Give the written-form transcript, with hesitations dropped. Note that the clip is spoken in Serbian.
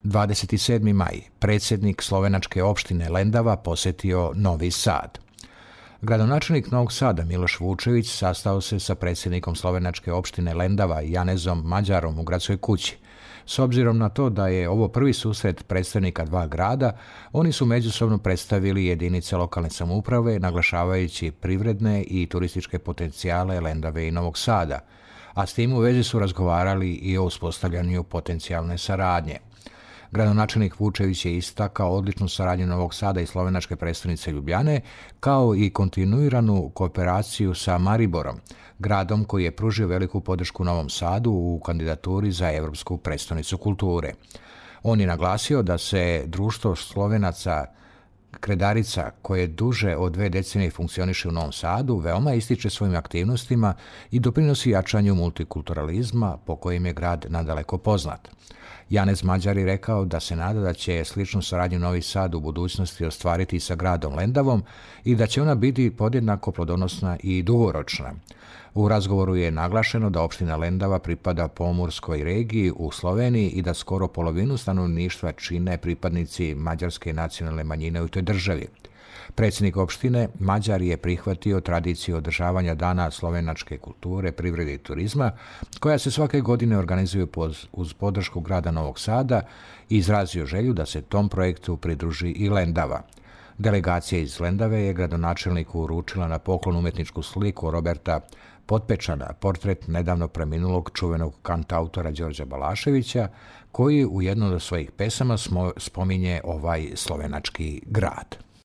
27. maj, predsjednik slovenačke opštine Lendava posjetio Novi Sad. Gradonačelnik Novog Sada Miloš Vučević sastao se sa predsjednikom slovenačke opštine Lendava Janezom Mađarom u gradskoj kući. S obzirom na to da je ovo prvi susret predstavnika dva grada, oni su međusobno predstavili jedinice lokalne samouprave, naglašavajući privredne i turističke potencijale Lendave i Novog Sada, a s tim u vezi su razgovarali i o uspostavljanju potencijalne saradnje. Gradonačelnik Vučević je istakao odličnu saradnju Novog Sada i slovenačke prestonice Ljubljane, kao i kontinuiranu kooperaciju sa Mariborom, gradom koji je pružio veliku podršku Novom Sadu u kandidaturi za Evropsku prestonicu kulture. On je naglasio da se društvo Slovenaca Kredarica, koje duže od 2 decenije funkcioniše u Novom Sadu, veoma ističe svojim aktivnostima i doprinosi jačanju multikulturalizma po kojim je grad nadaleko poznat. Janez Mađar je rekao da se nada da će sličnu saradnju Novi Sad u budućnosti ostvariti sa gradom Lendavom i da će ona biti podjednako plodonosna i dugoročna. U razgovoru je naglašeno da opština Lendava pripada pomorskoj regiji u Sloveniji i da skoro polovinu stanovništva čine pripadnici mađarske nacionalne manjine u toj državi. Predsjednik opštine Mađar je prihvatio tradiciju održavanja Dana slovenačke kulture, privrede i turizma, koja se svake godine organizuje uz podršku grada Novog Sada i izrazio želju da se tom projektu pridruži i Lendava. Delegacija iz Lendave je gradonačelniku uručila na poklon umetničku sliku Roberta Potpečana, portret nedavno preminulog čuvenog kantautora Đorđa Balaševića, koji u jednom od svojih pesama spominje ovaj slovenački grad.